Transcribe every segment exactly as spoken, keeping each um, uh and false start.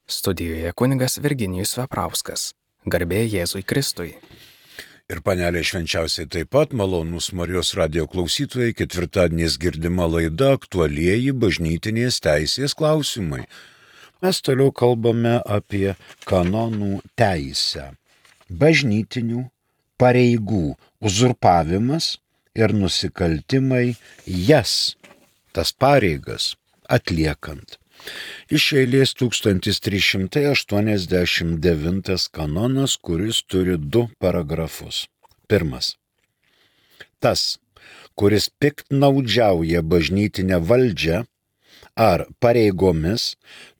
Studijoje kunigas Virginijus Veprauskas. Garbė Jėzui Kristui. Ir panelė švenčiausiai taip pat, malonūs Marijos radijo klausytojai, ketvirtadieniais girdima laida aktualieji bažnytinės teisės klausimai. Mes toliau kalbame apie kanonų teisę. Bažnytinių pareigų uzurpavimas ir nusikaltimai jas, tas pareigas, atliekant. Iš eilės tūkstantis trys šimtai aštuoniasdešimt devintas kanonas, kuris turi du paragrafus. Pirmas. Tas, kuris piktnaudžiauja bažnytinę valdžią ar pareigomis,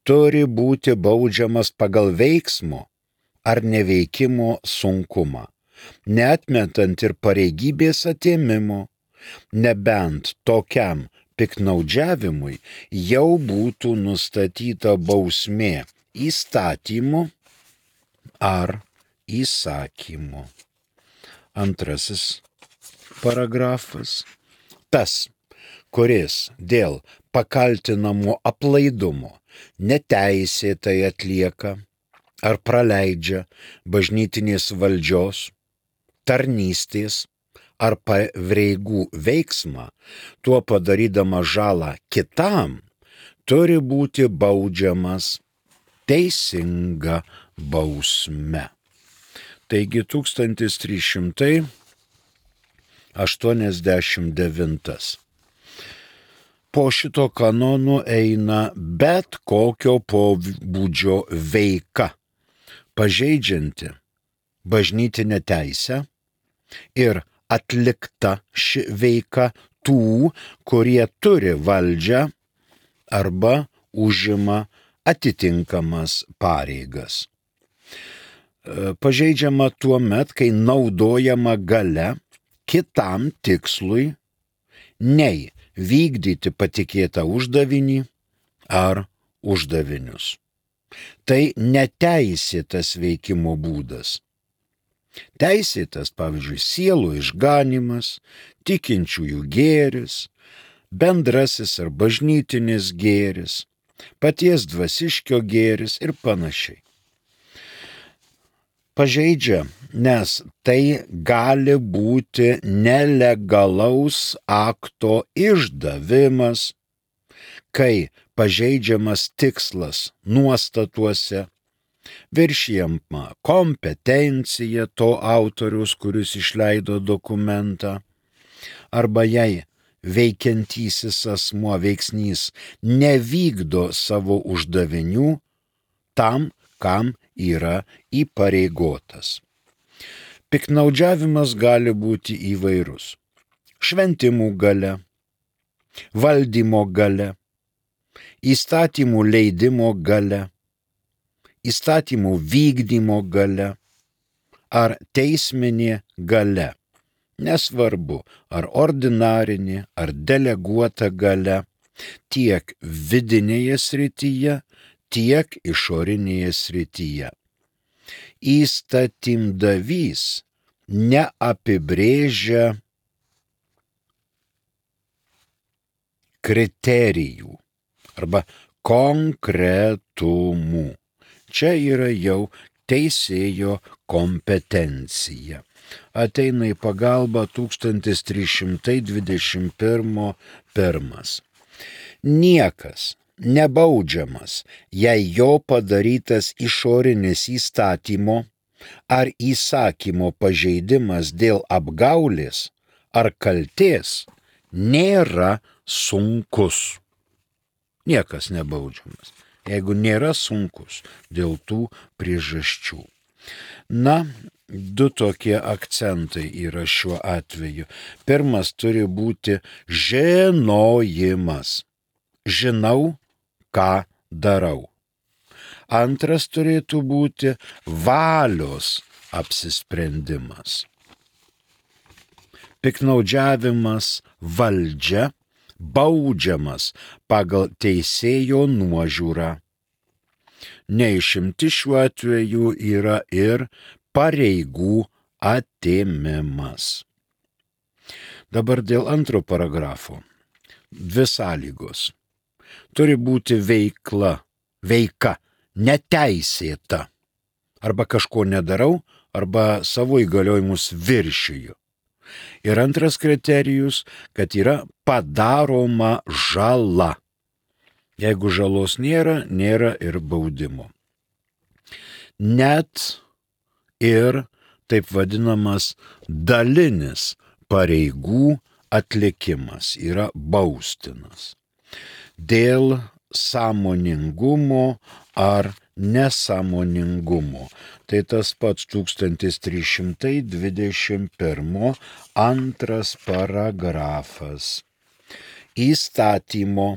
turi būti baudžiamas pagal veiksmo ar neveikimo sunkumą, neatmetant ir pareigybės atėmimo, nebent tokiam piktnaudžiavimui jau būtų nustatyta bausmė įstatymu ar įsakymu. Antrasis paragrafas. Tas, kuris dėl pakaltinamo aplaidumo neteisėtai atlieka ar praleidžia bažnytinės valdžios, tarnystės ar pareigų veiksmą, tuo padarydama žalą kitam, turi būti baudžiamas teisinga bausme. Taigi tūkstantis trys šimtai aštuoniasdešimt devintas. Po šito kanonų eina bet kokio pobūdžio veika, pažeidžianti bažnytinę teisę ir atlikta ši veika tų, kurie turi valdžią arba užima atitinkamas pareigas. Pažeidžiama tuo met, kai naudojama galia kitam tikslui, nei vykdyti patikėtą uždavinį ar uždavinius. Tai neteisėtas veikimo būdas. Teisėtas, pavyzdžiui, sielų išganymas, tikinčiųjų gėris, bendrasis ar bažnytinis gėris, paties dvasiškio gėris ir panašiai. Pažeidžia, nes tai gali būti nelegalaus akto išdavimas, kai pažeidžiamas tikslas nuostatuose, viršijama kompetencija to autorius, kuris išleido dokumentą, arba jei veikiantysis asmuo veiksnys nevykdo savo uždavinių tam, kam yra įpareigotas. Piktnaudžiavimas gali būti įvairus. Šventimų galia, valdymo galia, įstatymų leidimo galia, įstatymų vykdymo galia ar teisminė galia, nesvarbu ar ordinarinė ar deleguota galia, tiek vidinėje srityje, tiek išorinėje srityje. Įstatymdavys neapibrėžia kriterijų arba konkretumų. Čia yra jau teisėjo kompetencija. Ateina į pagalbą tūkstantis trys šimtai dvidešimt pirmas. Niekas nebaudžiamas, jei jo padarytas išorinis įstatymo ar įsakymo pažeidimas dėl apgaulės ar kaltės nėra sunkus. Niekas nebaudžiamas, jeigu nėra sunkus dėl tų priežasčių. Na, du tokie akcentai yra šiuo atveju. Pirmas turi būti žinojimas. Žinau, ką darau. Antras turėtų būti valios apsisprendimas. Piktnaudžiavimas valdžia baudžiamas pagal teisėjo nuožiūrą. Neišimti šiuo atveju yra ir pareigų atėmimas. Dabar dėl antro paragrafo. Dvi sąlygos. Turi būti veikla, veika neteisėta. Arba kažko nedarau, arba savo įgaliojimus viršiju. Ir antras kriterijus, kad yra padaroma žala. Jeigu žalos nėra, nėra ir baudimo. Net ir taip vadinamas dalinis pareigų atlikimas yra baustinas. Dėl sąmoningumo ar nesąmoningumo. Tai tas pats tūkstantis trys šimtai dvidešimt pirmas antras paragrafas. Įstatymo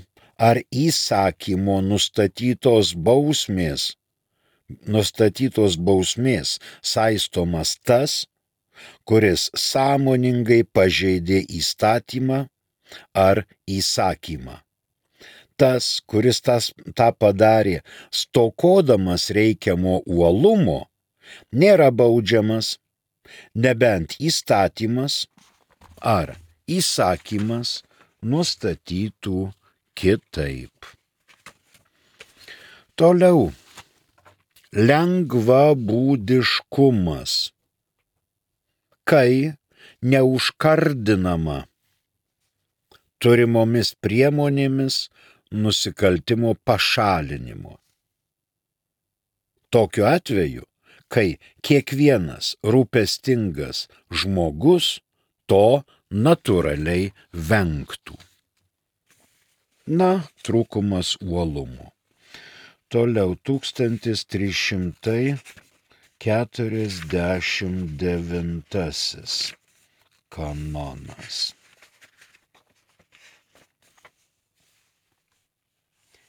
ar įsakymo nustatytos bausmės, nustatytos bausmės saistomas tas, kuris sąmoningai pažeidė įstatymą ar įsakymą. Tas, kuris tas, tą padarė stokodamas reikiamo uolumo, nėra baudžiamas, nebent įstatymas ar įsakymas nustatytų kitaip. Toliau. Lengvabūdiškumas. Kai neužkardinama turimomis priemonėmis nusikaltimo pašalinimo. Tokiu atveju, kai kiekvienas rūpestingas žmogus to natūraliai vengtų. Na, trūkumas uolumo. Toliau tūkstantis trys šimtai keturiasdešimt devintasis kanonas.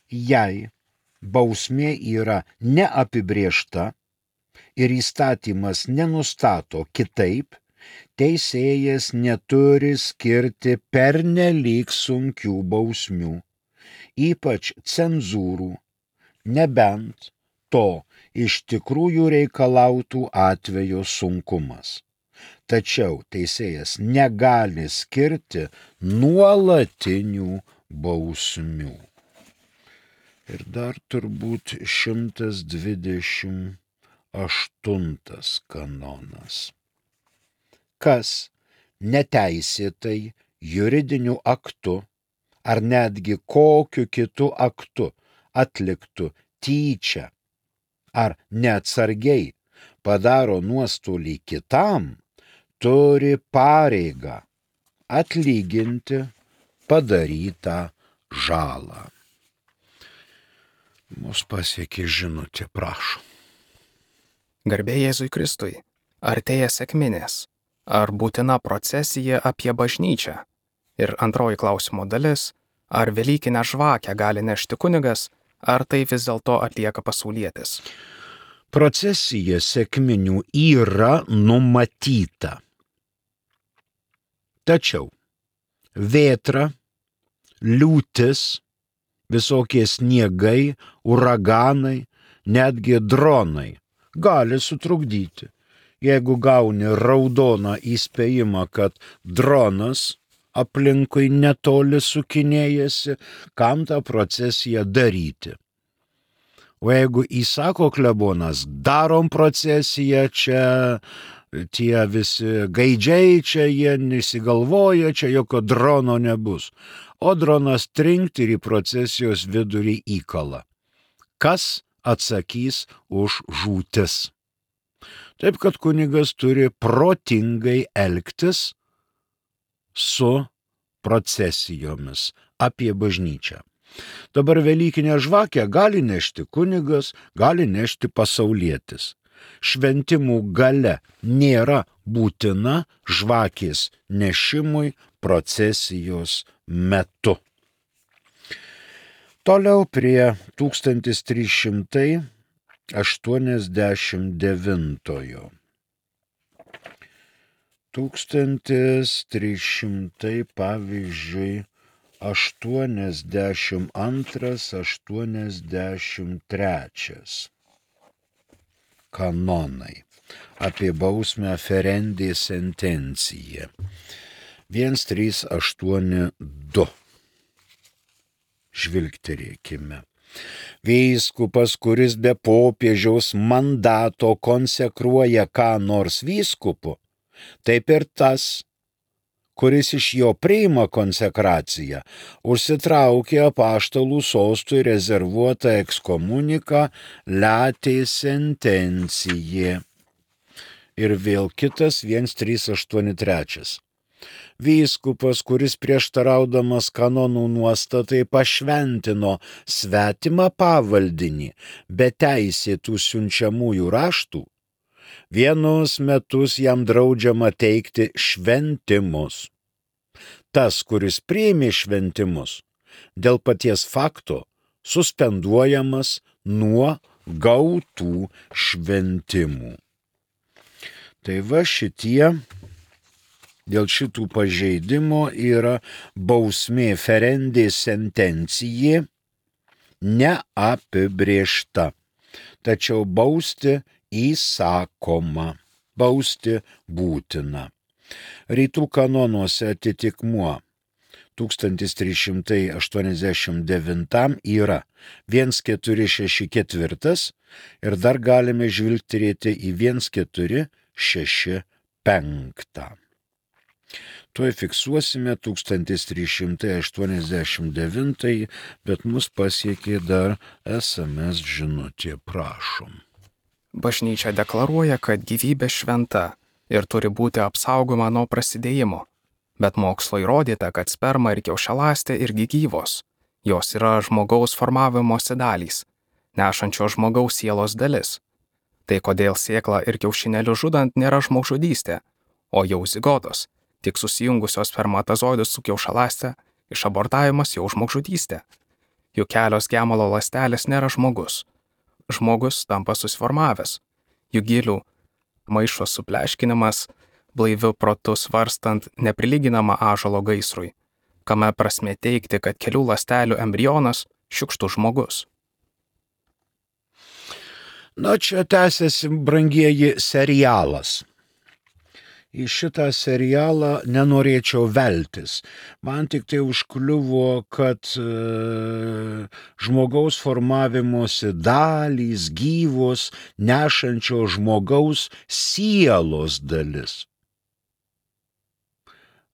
Jei bausmė yra neapibrėžta ir įstatymas nenustato kitaip, teisėjas neturi skirti pernelyg sunkių bausmių, ypač cenzūrų, nebent to iš tikrųjų reikalautų atvejo sunkumas. Tačiau teisėjas negali skirti nuolatinių bausmių. Ir dar turbūt šimtas dvidešimt aštuntas kanonas. Kas neteisėtai juridiniu aktu ar netgi kokiu kitu aktu atliktų tyčia ar neatsargiai padaro nuostolį kitam, turi pareigą atlyginti padarytą žalą. Mus pasiekė žinutė, prašom. Garbė Jėzui Kristui. Artėja sekminės. Ar būtina procesija apie bažnyčią? Ir antroji klausimo dalis. Ar velykinę žvakę gali nešti kunigas, ar tai vis dėlto atlieka pasaulietis? Procesija sekminių yra numatyta. Tačiau vėtra, liūtis, visokie sniegai, uraganai, netgi dronai gali sutrukdyti. Jeigu gauni raudoną įspėjimą, kad dronas aplinkui netoli sukinėjasi, kam tą procesiją daryti? O jeigu įsako klebonas, darom procesiją, čia tie visi gaidžiai, čia jie nesigalvoja, čia jokio drono nebus. O dronas trinkt ir į procesijos vidurį įkala. Kas atsakys už žūtis? Taip, kad kunigas turi protingai elgtis su procesijomis apie bažnyčią. Dabar velykinę žvakę gali nešti kunigas, gali nešti pasaulietis. Šventimų gale nėra būtina žvakės nešimui procesijos metu. Toliau prie tūkstantis trys šimtai aštuoniasdešimt devintojo. Tūkstantis trys šimtai, pavyzdžiui, aštuoniasdešimt antras, aštuoniasdešimt trečias kanonai apie bausmę ferendė sentencija. vienas trys aštuoni du. Žvilgterėkime. Vyskupas, kuris be popiežiaus mandato konsekruoja ką nors vyskupu, taip ir tas, kuris iš jo priima konsekraciją, užsitraukia apaštalų sostui rezervuotą ekskomuniką latė sentencijė. Ir vėl kitas vienas trys aštuoni trys. Vyskupas, kuris prieštaraudamas kanonų nuostatai pašventino svetimą pavaldinį be teisėtų siunčiamųjų raštų, vienus metus jam draudžiama teikti šventimus. Tas, kuris priėmė šventimus, dėl paties fakto suspenduojamas nuo gautų šventimų. Tai va šitie dėl šitų pažeidimo yra bausmė ferendė sentencijė neapibrėžta, tačiau bausti įsakoma, bausti būtina. Rytų kanonuose atitikmuo tūkstantis trys šimtai aštuoniasdešimt devyni yra vienas keturi šeši keturi ir dar galime žvilgterėti į vienas keturi šeši penki. Tuoj fiksuosime tūkstantis trys šimtai aštuoniasdešimt devyni, bet mus pasiekė dar es em es žinutė, prašom. Bažnyčia deklaruoja, kad gyvybė šventa ir turi būti apsaugoma nuo prasidėjimo, bet mokslo įrodyta, kad sperma ir kiaušialąstė irgi gyvos. Jos yra žmogaus formavimosi dalys, nešančio žmogaus sielos dalis. Tai kodėl sėklą ir kiaušinėlių žudant nėra žmogžudystė, o jau zigotos, tik susijungusios spermatozoidus su kiaušialąste, išabortavimas jau žmogžudystė. Juk kelios gemalo ląstelės nėra žmogus. Žmogus tampa susiformavęs. Juk gilių maišo supleškinimas, blaiviu protu svarstant neprilyginama ąžuolo gaisrui, kame prasmė teigti, kad kelių ląstelių embrionas šiukštus žmogus. Na, čia tęsiasi, brangieji, serialas. Į šitą serialą nenorėčiau veltis. Man tik tai užkliuvo, kad e, žmogaus formavimosi dalys, gyvos, nešančio žmogaus sielos dalis.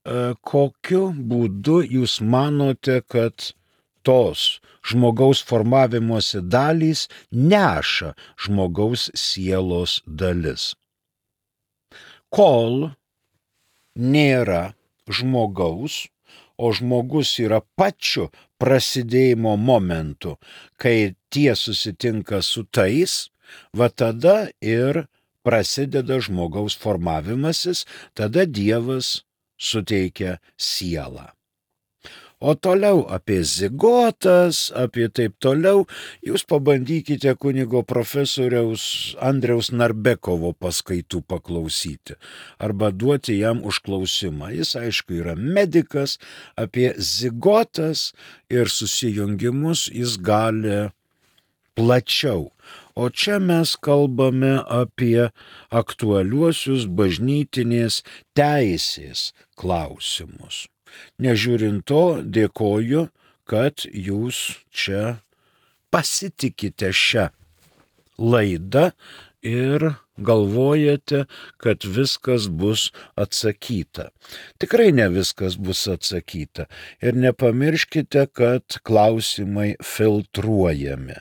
E, kokiu būdu jūs manote, kad tos žmogaus formavimosi dalys neša žmogaus sielos dalis? Kol nėra žmogaus, o žmogus yra pačiu prasidėjimo momentu, kai tie susitinka su tais, va tada ir prasideda žmogaus formavimasis, tada Dievas suteikia sielą. O toliau apie zigotas, apie taip toliau, jūs pabandykite kunigo profesoriaus Andriaus Narbekovo paskaitų paklausyti arba duoti jam užklausimą. Jis, aišku, yra medikas, apie zigotas ir susijungimus jis gali plačiau. O čia mes kalbame apie aktualiuosius bažnytinės teisės klausimus. Nežiūrint to, dėkoju, kad jūs čia pasitikite šią laidą ir galvojate, kad viskas bus atsakyta. Tikrai ne viskas bus atsakyta. Ir nepamirškite, kad klausimai filtruojami.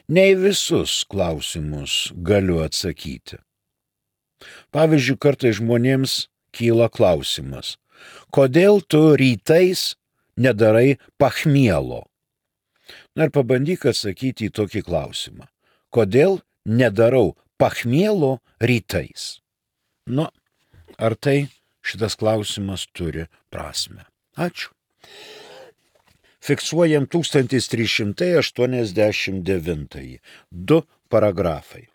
Ne į visus klausimus galiu atsakyti. Pavyzdžiui, kartais žmonėms kyla klausimas: kodėl tu rytais nedarai pachmielo? Na ir pabandyk atsakyti į tokį klausimą. Kodėl nedarau pachmielo rytais? Nu, ar tai šitas klausimas turi prasmę? Ačiū. Fiksuojam tūkstantis trys šimtai aštuoniasdešimt devyni. Du paragrafai.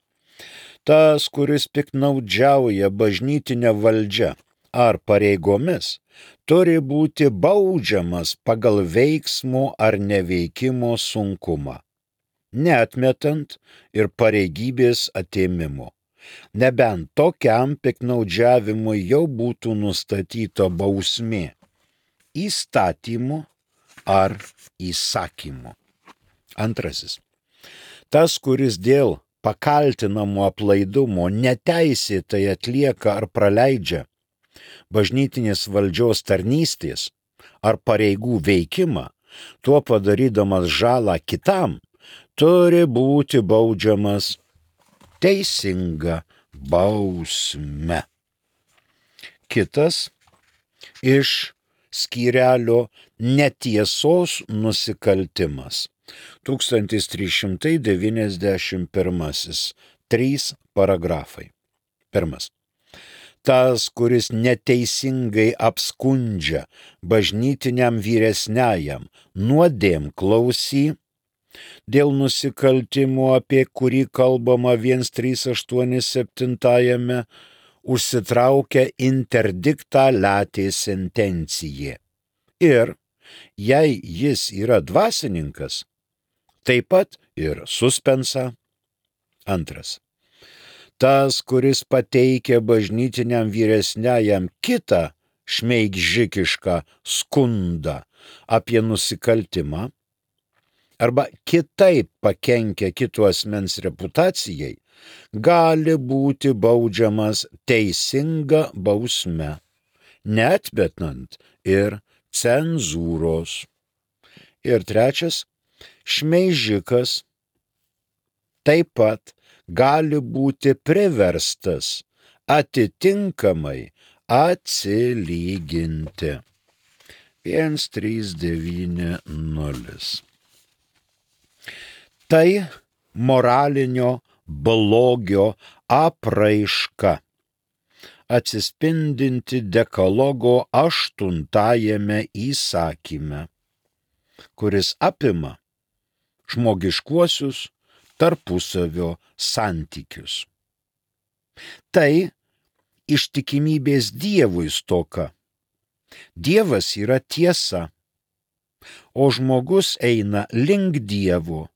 Tas, kuris piktnaudžiauja bažnytinę valdžią ar pareigomis, turi būti baudžiamas pagal veiksmo ar neveikimo sunkumą, neatmetant ir pareigybės atėmimo, nebent tokiam piktnaudžiavimui jau būtų nustatyta bausmė įstatymu ar įsakymu. Antrasis. Tas, kuris dėl pakaltinamo aplaidumo neteisėtai atlieka ar praleidžia bažnytinės valdžios tarnystės ar pareigų veikimą, tuo padarydamas žalą kitam, turi būti baudžiamas teisinga bausme. Kitas iš skyrelio netiesos nusikaltimas. tūkstantis trys šimtai devyniasdešimt pirmasis. Trys paragrafai. Pirmas. Tas, kuris neteisingai apskundžia bažnytiniam vyresniajam nuodėm klausy, dėl nusikaltimų, apie kurį kalbama vienas trys aštuoni septintajame, užsitraukia interdiktą latė sentencija. Ir jei jis yra dvasininkas, taip pat ir suspensą. Antras. Tas, kuris pateikia bažnytiniam vyresniajam kitą šmeigžikišką skundą apie nusikaltimą arba kitaip pakenkia kito asmens reputacijai, gali būti baudžiamas teisinga bausme, neatmetant ir cenzūros. Ir trečias, šmeižikas taip pat gali būti priverstas atitinkamai atsilyginti. vienas trys devyni nulis. Tai moralinio blogio apraiška, atsispindinti dekalogo aštuntajame įsakyme, kuris apima žmogiškuosius tarpusavio santykius. Tai ištikimybės Dievui stoka. Dievas yra tiesa, o žmogus eina link Dievo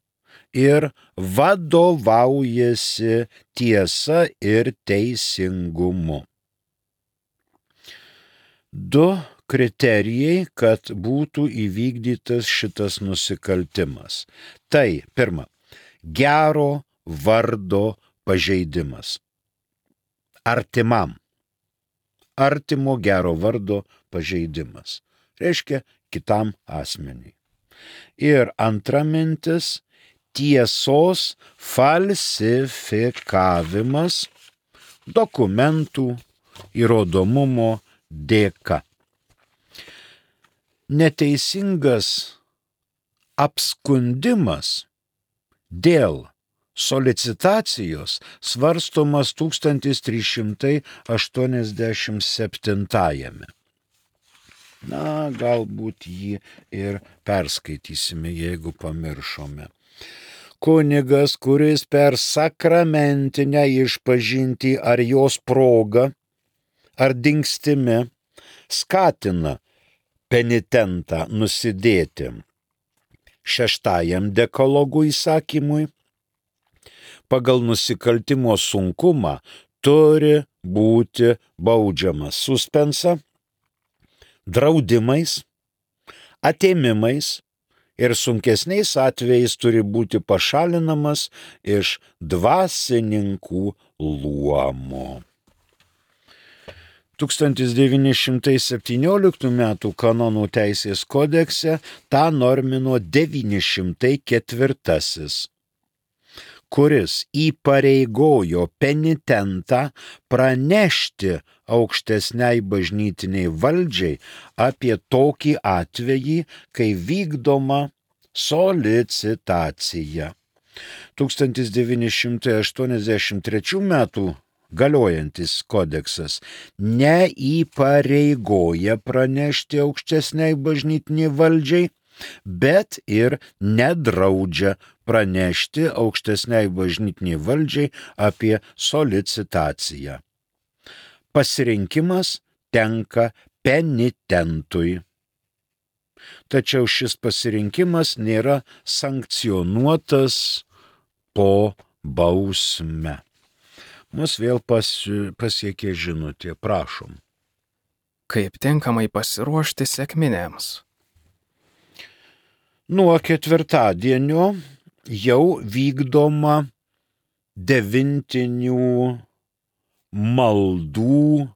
ir vadovaujasi tiesa ir teisingumu. Du kriterijai, kad būtų įvykdytas šitas nusikaltimas. Tai, pirma, gero vardo pažeidimas. Artimam. Artimo gero vardo pažeidimas. Reiškia kitam asmeniui. Ir antra mintis, tiesos falsifikavimas dokumentų įrodomumo dėka. Neteisingas apskundimas dėl solicitacijos svarstomas tūkstantis trys šimtai aštuoniasdešimt septintajame. Na, galbūt jį ir perskaitysime, jeigu pamiršome. Kunigas, kuris per sakramentinę išpažintį ar jos progą ar dingstimi skatina penitentą nusidėti šeštajam dekalogų įsakymui, pagal nusikaltimo sunkumą turi būti baudžiamas suspensa, draudimais, atėmimais ir sunkesniais atvejais turi būti pašalinamas iš dvasininkų luomo. tūkstantis devyni šimtai septynioliktų metų kanonų teisės kodekse tą normino devyni šimtai ketvirtasis, kuris įpareigojo penitentą pranešti aukštesniai bažnytiniai valdžiai apie tokį atvejį, kai vykdoma solicitacija. tūkstantis devyni šimtai aštuoniasdešimt trečių metų galiojantis kodeksas neįpareigoja pranešti aukštesniai bažnytiniai valdžiai, bet ir nedraudžia pranešti aukštesniai bažnytiniai valdžiai apie solicitaciją. Pasirinkimas tenka penitentui. Tačiau šis pasirinkimas nėra sankcionuotas po bausme. Mus vėl pasi, pasiekė žinutė, prašom. Kaip tinkamai pasiruošti sekminėms? Nuo ketvirtadienio jau vykdoma devintinių maldų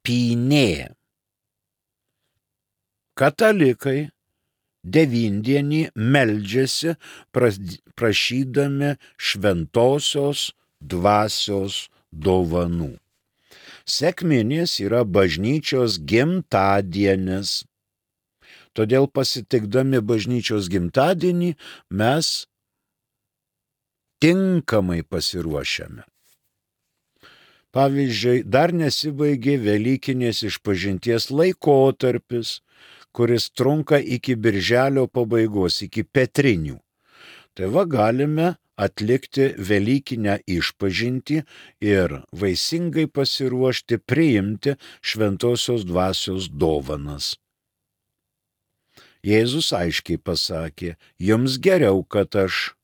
pynė. Katalikai devindienį meldžiasi prašydami šventosios dvasios dovanų. Sekminės yra bažnyčios gimtadienis. Todėl pasitikdami bažnyčios gimtadienį mes tinkamai pasiruošiame. Pavyzdžiui, dar nesibaigė Velykinės išpažinties laikotarpis, kuris trunka iki birželio pabaigos, iki Petrinių. Tai va galime atlikti Velykinę išpažintį ir vaisingai pasiruošti priimti šventosios dvasios dovanas. Jėzus aiškiai pasakė, jums geriau, kad aš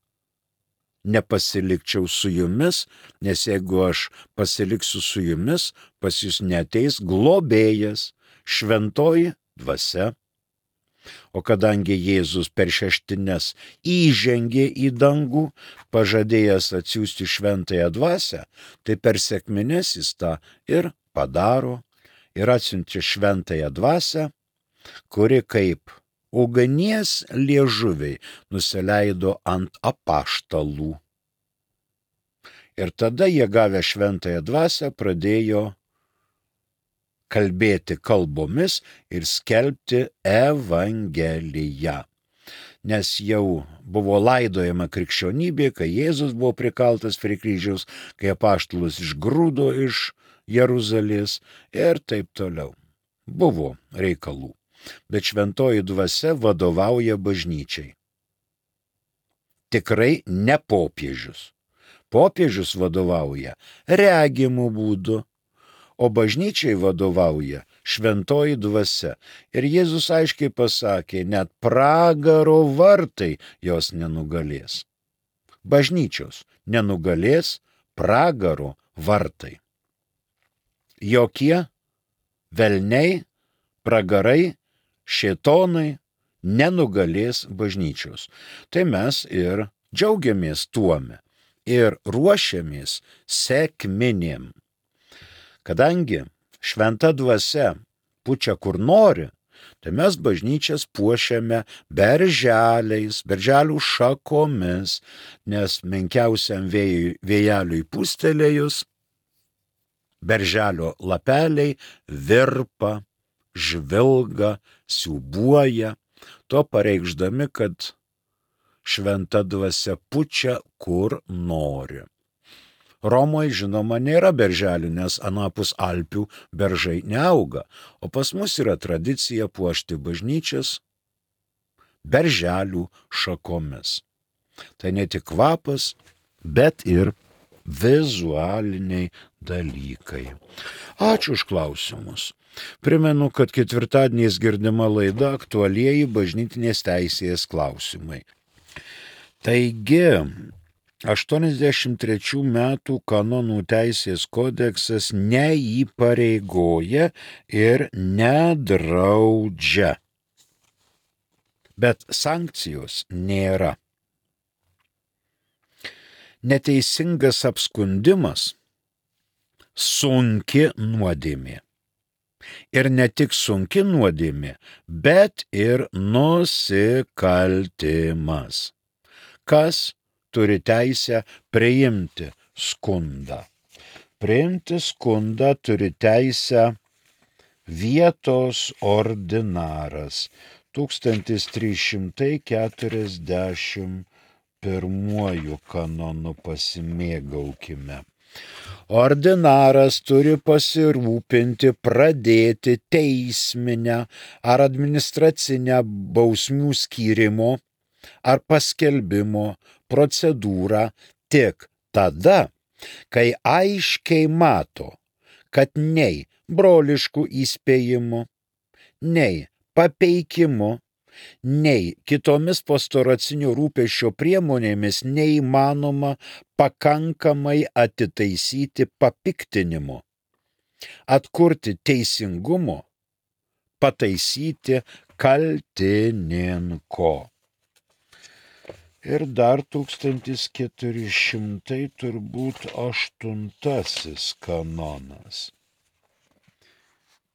nepasilikčiau su jumis, nes jeigu aš pasiliksiu su jumis, pas jūs neateis globėjas, šventoji dvasia. O kadangi Jėzus per šeštines įžengė į dangų, pažadėjęs atsiųsti šventąją dvasią, tai per sekmines jis tą ir padaro ir atsiuntė šventąją dvasią, kuri kaip ugnies liežuviai nusileido ant apaštalų. Ir tada jie gavę šventąją dvasią pradėjo kalbėti kalbomis ir skelbti Evangeliją. Nes jau buvo laidojama krikščionybė, kai Jėzus buvo prikaltas prie kryžiaus, kai apaštalus išgrūdo iš Jeruzalės ir taip toliau. Buvo reikalų. Bet šventoji dvasia vadovauja bažnyčiai. Tikrai ne popiežius. Popiežius vadovauja regimų būdu, o bažnyčiai vadovauja šventoji dvasia. Ir Jėzus aiškiai pasakė, net pragaro vartai jos nenugalės. Bažnyčios nenugalės pragaro vartai. Jokie velniai, pragarai, šėtonai nenugalės bažnyčios. Tai mes ir džiaugiamės tuome ir ruošiamės sekminėm. Kadangi šventa dvasia pučia kur nori, tai mes bažnyčias puošiame berželiais, berželių šakomis, nes menkiausiam vėjui, vėjeliui pūstelėjus, berželio lapeliai virpa, žvilga, siūbuoja, to pareikšdami, kad šventa dvasia pučia kur nori. Romoje, žinoma, nėra berželių, nes anapus Alpių beržai neauga, o pas mus yra tradicija puošti bažnyčias berželių šakomis. Tai ne tik kvapas, bet ir vizualiniai dalykai. Ačiū už klausimus. Primenu, kad ketvirtadieniais girdima laida aktualieji bažnytinės teisės klausimai. Taigi, aštuoniasdešimt trečių metų kanonų teisės kodeksas neįpareigoja ir nedraudžia. Bet sankcijos nėra. Neteisingas apskundimas sunki nuodėmė. Ir ne tik sunki nuodėmė, bet ir nusikaltimas. Kas turi teisę priimti skundą? Priimti skundą turi teisę vietos ordinaras. tūkstantis trys šimtai keturiasdešimt pirmuoju kanonu pasimėgaukime. Ordinaras turi pasirūpinti pradėti teisminę ar administracinę bausmių skyrimo ar paskelbimo procedūrą tik tada, kai aiškiai mato, kad nei broliškų įspėjimų, nei papeikimu, nei kitomis pastoracinio rūpesčio priemonėmis neįmanoma pakankamai atitaisyti papiktinimo, atkurti teisingumo, pataisyti kaltininko. Ir dar tūkstantis keturi šimtai turbūt aštuntasis kanonas.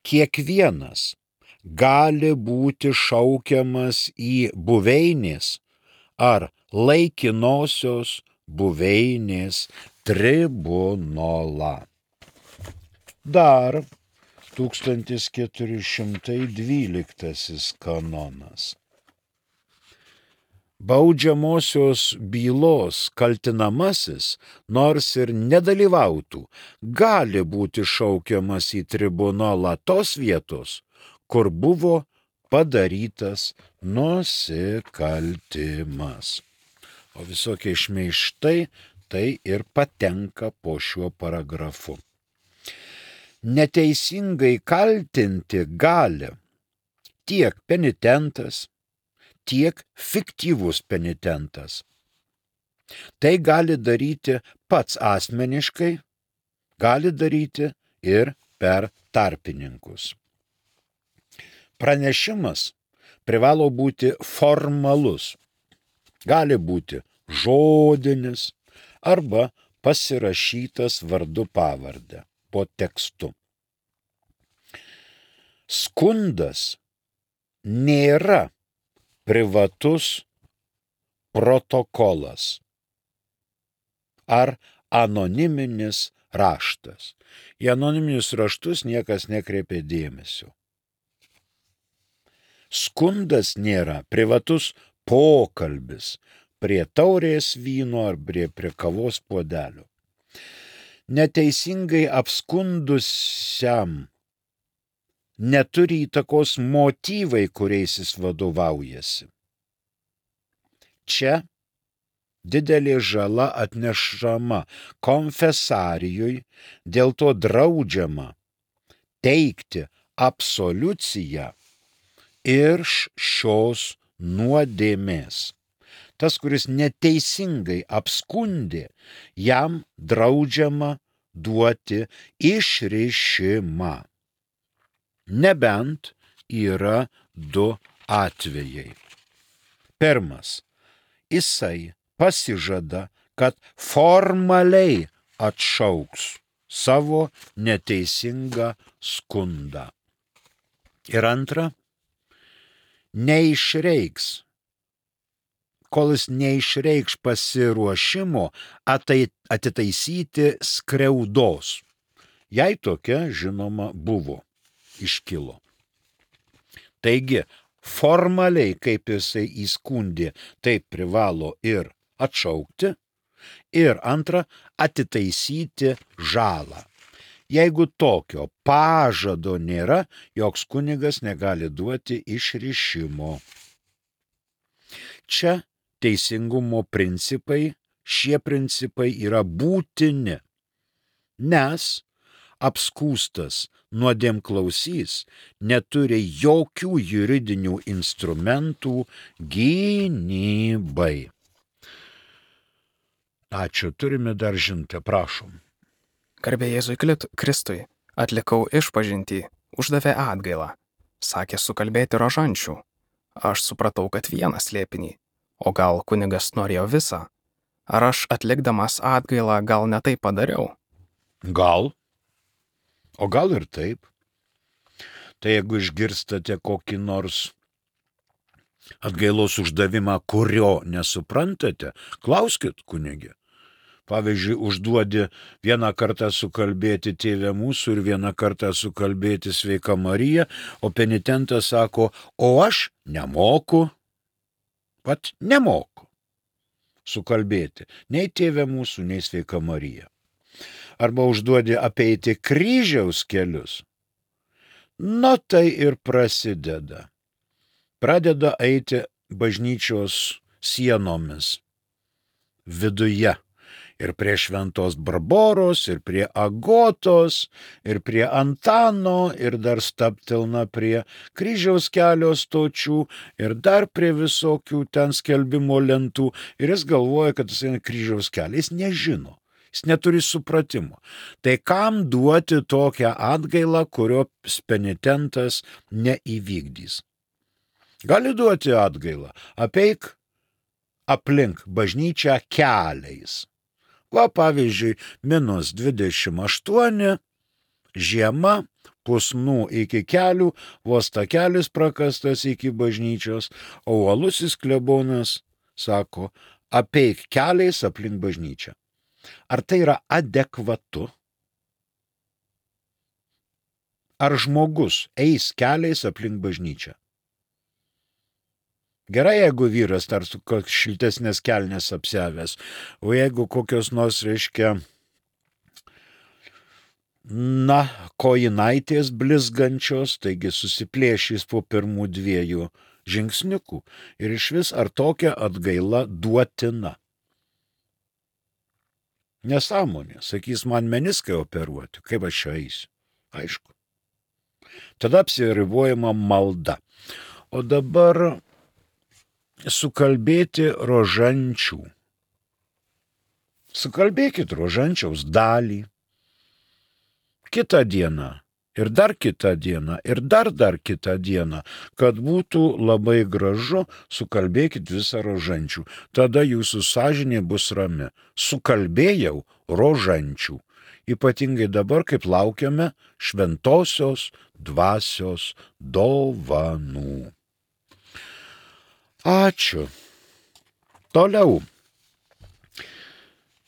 Kiekvienas gali būti šaukiamas į buveinės ar laikinosios buveinės tribunolą. Dar tūkstantis keturi šimtai dvyliktasis kanonas. Baudžiamosios bylos kaltinamasis, nors ir nedalyvautų, gali būti šaukiamas į tribunolą tos vietos, kur buvo padarytas nusikaltimas. O visokie šmeižtai tai ir patenka po šiuo paragrafu. Neteisingai kaltinti gali tiek penitentas, tiek fiktyvus penitentas. Tai gali daryti pats asmeniškai, gali daryti ir per tarpininkus. Pranešimas privalo būti formalus, gali būti žodinis arba pasirašytas vardu pavarde po tekstu. Skundas nėra privatus protokolas ar anoniminis raštas. Į anoniminius raštus niekas nekreipia dėmesio. Skundas nėra privatus pokalbis prie taurės vyno ar prie, prie kavos puodelio. Neteisingai apskundusiam neturi įtakos motyvai, kuriais jis vadovaujasi. Čia didelė žala atnešama konfesarijui, dėl to draudžiama teikti absoliuciją iš šios nuodėmės. Tas, kuris neteisingai apskundė, jam draudžiama duoti išrišimą. Nebent yra du atvejai. Pirmas, jisai pasižada, kad formaliai atšauks savo neteisingą skundą. Ir antra, neišreiks, kol jis neišreikš pasiruošimo atitaisyti skriaudos. Jei tokia, žinoma, buvo. Iškilo. Taigi, formaliai, kaip jisai įskundė, taip privalo ir atšaukti, ir antra, atitaisyti žalą. Jeigu tokio pažado nėra, joks kunigas negali duoti išrišimo. Čia teisingumo principai, šie principai yra būtini, nes apskūstas nuodėmklausys neturi jokių juridinių instrumentų gynybai. Ačiū, turime dar žinutę, prašom. Garbė Jėzui Kristui, atlikau išpažintį, uždavė atgailą. Sakė sukalbėti rožančių. Aš supratau, kad vieną slėpinį. O gal kunigas norėjo visą? Ar aš atlikdamas atgailą gal ne taip padariau? Gal. O gal ir taip. Tai jeigu išgirstate kokį nors atgailos uždavimą, kurio nesuprantate, klauskit kunigė. Pavyzdžiui, užduodi vieną kartą sukalbėti Tėve mūsų ir vieną kartą sukalbėti Sveika Marija, o penitentas sako, o aš nemoku, pat nemoku sukalbėti nei Tėve mūsų, nei Sveika Marija. Arba užduodi apeiti kryžiaus kelius, nu tai ir prasideda. Pradeda eiti bažnyčios sienomis viduje. Ir prie Šventos Barboros, ir prie Agotos, ir prie Antano, ir dar stabtelna prie kryžiaus kelio stočių, ir dar prie visokių ten skelbimo lentų. Ir jis galvoja, kad jis eina kryžiaus kelią. Jis nežino. Jis neturi supratimo. Tai kam duoti tokią atgailą, kurio penitentas neįvykdys? Gali duoti atgailą. Apeik aplink bažnyčią keliais. Va, pavyzdžiui, minus dvidešimt aštuoni, žiema, pusnų iki kelių, vos takelis prakastas iki bažnyčios, o uolusis klebonas sako, apeik keliais aplink bažnyčią. Ar tai yra adekvatu? Ar žmogus eis keliais aplink bažnyčią? Gerai, jeigu vyras dar su šiltesnės kelnės apsiavęs, o jeigu kokios nors, reiškia, na, kojinaitės blizgančios, taigi susiplėšys po pirmų dviejų žingsniukų. Ir iš vis ar tokia atgaila duotina? Nesąmonė, sakys, man meniskai operuoti, kaip aš čia eisiu? Aišku. Tada apsiribojama malda. O dabar sukalbėti rožančių. Sukalbėkit rožančiaus dalį. Kitą dieną, ir dar kitą dieną, ir dar dar kitą dieną, kad būtų labai gražu, sukalbėkit visą rožančių. Tada jūsų sąžinė bus rami. Sukalbėjau rožančių. Ypatingai dabar, kaip laukiame šventosios dvasios dovanų. Ačiū. Toliau.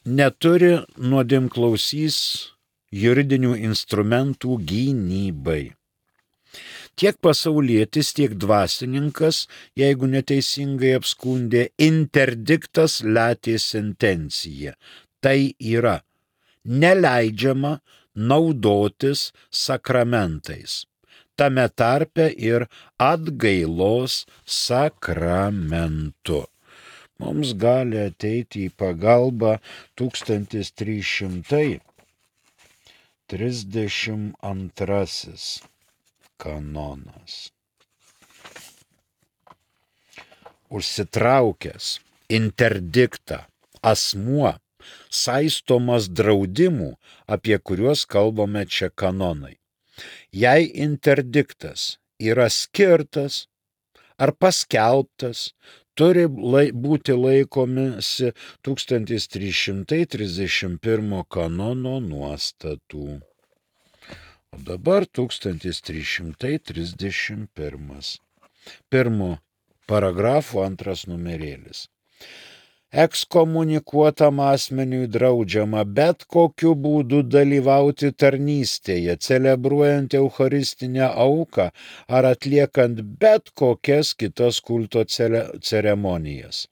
Neturi nuodėmklausys juridinių instrumentų gynybai. Tiek pasaulietis, tiek dvasininkas, jeigu neteisingai apskundė, interdiktas letė sentencija. Tai yra neleidžiama naudotis sakramentais, tame tarpe ir atgailos sakramentu. Mums gali ateiti į pagalbą tūkstantis trys šimtai trisdešimt antrasis kanonas. Užsitraukęs interdiktą asmuo saistomas draudimų, apie kuriuos kalbame čia kanonai. Jei interdiktas yra skirtas ar paskelbtas, turi lai, būti laikomisi tūkstantis trys šimtai trisdešimt pirmo kanono nuostatų. O dabar tūkstantis trys šimtai trisdešimt pirmas. Pirmo paragrafo antras numerėlis. Ekskomunikuotam asmeniui draudžiama bet kokiu būdu dalyvauti tarnystėje, celebruojant eucharistinę auką ar atliekant bet kokias kitas kulto ceremonijas.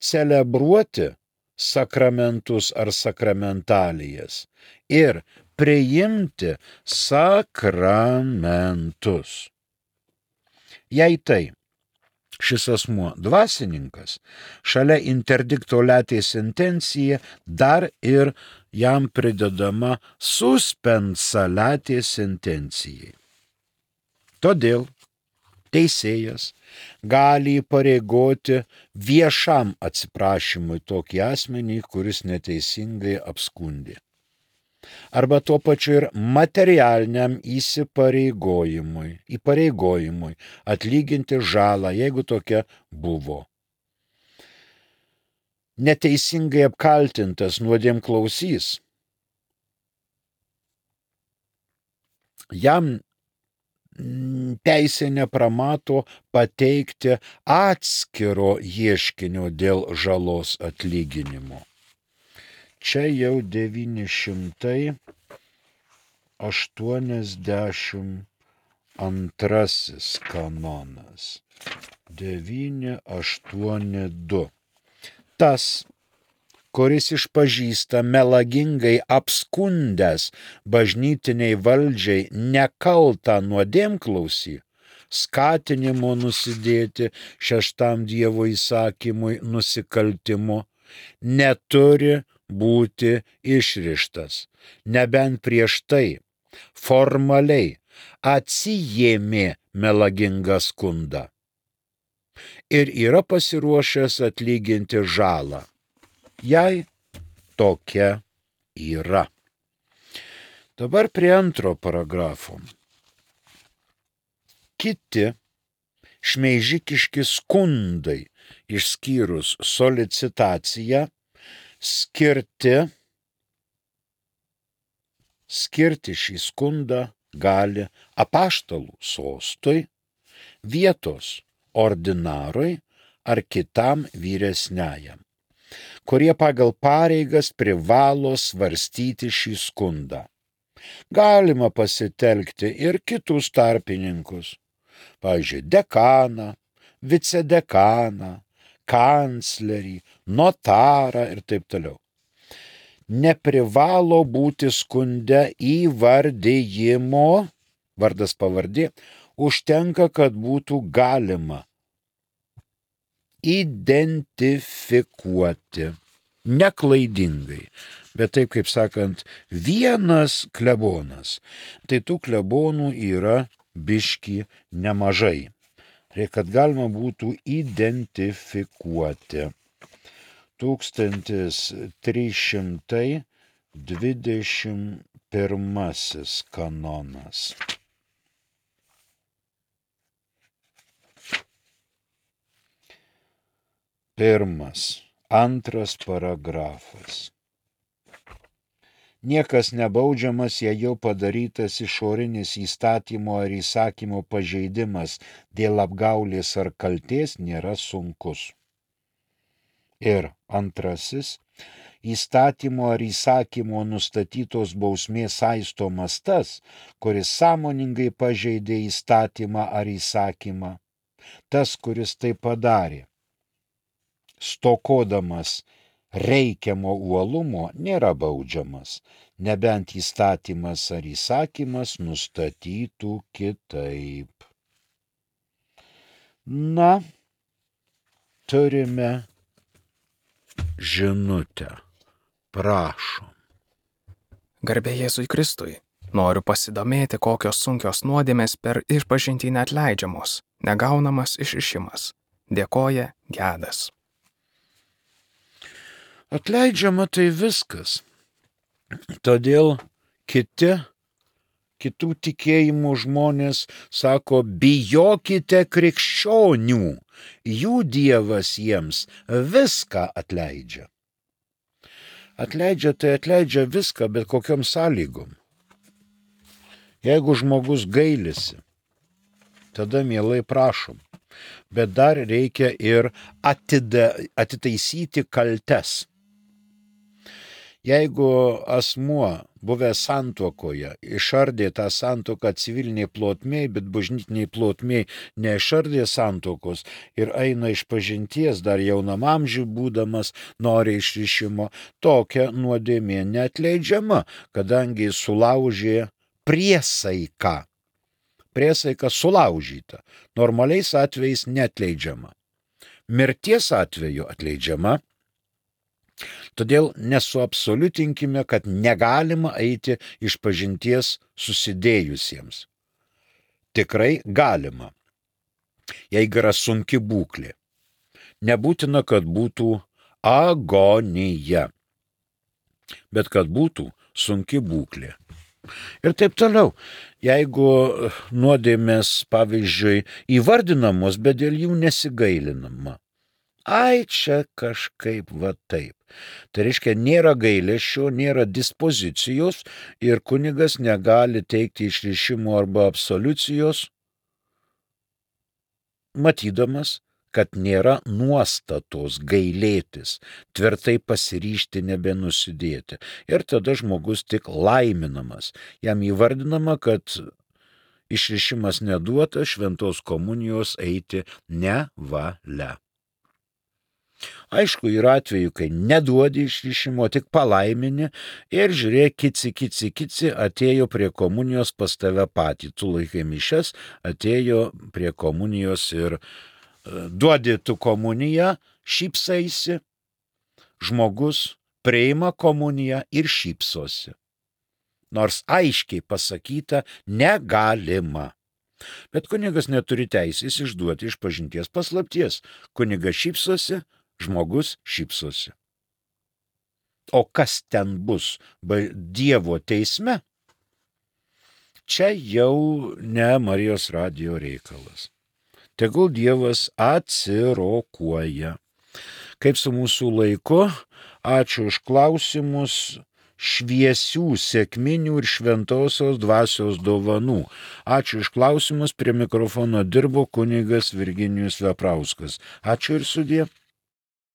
Celebruoti sakramentus ar sakramentalijas ir priimti sakramentus. Jei tai šis asmuo dvasininkas, šalia interdikto letė sentencija dar ir jam pridedama suspensa letė sentencijai. Todėl teisėjas gali įpareigoti viešam atsiprašymui tokį asmenį, kuris neteisingai apskundė. Arba tuo pačiu ir materialiniam įsipareigojimui, įpareigojimui atlyginti žalą, jeigu tokia buvo. Neteisingai apkaltintas nuodėmklausys, jam teisė nepramato pateikti atskiro ieškinio dėl žalos atlyginimo. Čia jau devyni šimtai aštuoniasdešimt antrasis kanonas. devyni aštuoni du. Tas, kuris išpažįsta melagingai apskundęs bažnytiniai valdžiai nekaltą nuodėmklausį, skatinimo nusidėti šeštam Dievo įsakymui nusikaltimu, neturi būti išrištas, nebent prieš tai formaliai atsijėmė melagingą skundą ir yra pasiruošęs atlyginti žalą, jei tokia yra. Dabar prie antro paragrafo. Kiti šmeižikiški skundai išskyrus solicitaciją, skirti, skirti šį skundą gali apaštalų sostui, vietos ordinarui ar kitam vyresniajam, kurie pagal pareigas privalo svarstyti šį skundą. Galima pasitelkti ir kitus tarpininkus, pavyzdžiui, dekaną, vicedekaną, kanclerį, notarą ir taip toliau. Neprivalo būti skunde įvardijimo, vardas pavardė, užtenka, kad būtų galima identifikuoti, neklaidingai, bet taip, kaip sakant, vienas klebonas. Tai tų klebonų yra biški nemažai. Reikia, kad galima būtų identifikuoti. tūkstantis trys šimtai dvidešimt pirmasis kanonas. Pirmas, antras paragrafas. Niekas nebaudžiamas, jei jau padarytas išorinis įstatymo ar įsakymo pažeidimas dėl apgaulės ar kaltės nėra sunkus. Ir antrasis, įstatymo ar įsakymo nustatytos bausmės saistomas tas, kuris sąmoningai pažeidė įstatymą ar įsakymą. Tas, kuris tai padarė, stokodamas reikiamo uolumo, nėra baudžiamas, nebent įstatymas ar įsakymas nustatytų kitaip. Na, turime žinutę. Prašom. Garbė Jėzui Kristui. Noriu pasidomėti, kokios sunkios nuodėmės per išpažintį neatleidžiamos, negaunamas išrišimas. Dėkoja Gedas. Atleidžiama tai viskas. Todėl kiti, kitų tikėjimų žmonės sako, bijokite krikščionių, jų Dievas jiems viską atleidžia. Atleidžia tai atleidžia viską, bet kokiom sąlygom. Jeigu žmogus gailisi, tada mielai prašom. Bet dar reikia ir atida, atitaisyti kaltes. Jeigu asmuo, buvęs santuokoje, išardė tą santuoką civiliniai plotmėj, bet bažnytiniai plotmėj neišardė santuokos ir eina iš pažinties, dar jaunam amžiui būdamas, nori išrišimo, tokia nuodėmė neatleidžiama, kadangi sulaužė priesaiką. Priesaika sulaužyta. Normaliais atvejais neatleidžiama. Mirties atveju atleidžiama. Todėl nesuabsoliutinkime, kad negalima eiti iš pažinties susidėjusiems. Tikrai galima. Jeigu yra sunki būklė. Nebūtina, kad būtų agonija, bet kad būtų sunki būklė. Ir taip toliau. Jeigu nuodėmės, pavyzdžiui, įvardinamos, bet dėl jų nesigailinama. Ai, čia kažkaip va taip. Tai reiškia, nėra gailesčio, nėra dispozicijos ir kunigas negali teikti išrišimo arba absoliucijos, matydamas, kad nėra nuostatos gailėtis, tvirtai pasiryžti nebenusidėti. Ir tada žmogus tik laiminamas. Jam įvardinama, kad išrišimas neduota, šventos komunijos eiti nevalia. Aišku, yra atveju, kai neduodi išrišimo, tik palaimini ir žiūrėk, kici, kici, kici, atėjo prie komunijos pas tave patį. Tu laikai mišias, atėjo prie komunijos ir duodi tu komuniją, šypsaisi, žmogus priima komuniją ir šypsosi. Nors aiškiai pasakyta, negalima. Bet kunigas neturi teisės išduoti išpažinties paslapties. Kunigas šypsosi, žmogus šypsosi. O kas ten bus Dievo teisme, čia jau ne Marijos radijo reikalas. tegul Dievas atsirokuoja. Kaip su mūsų laiku, ačiū už klausimus, šviesių, sėkminių ir šventosios dvasios dovanų. Ačiū už klausimus, prie mikrofono dirbo kunigas Virginijus Veprauskas. Ačiū ir sudie.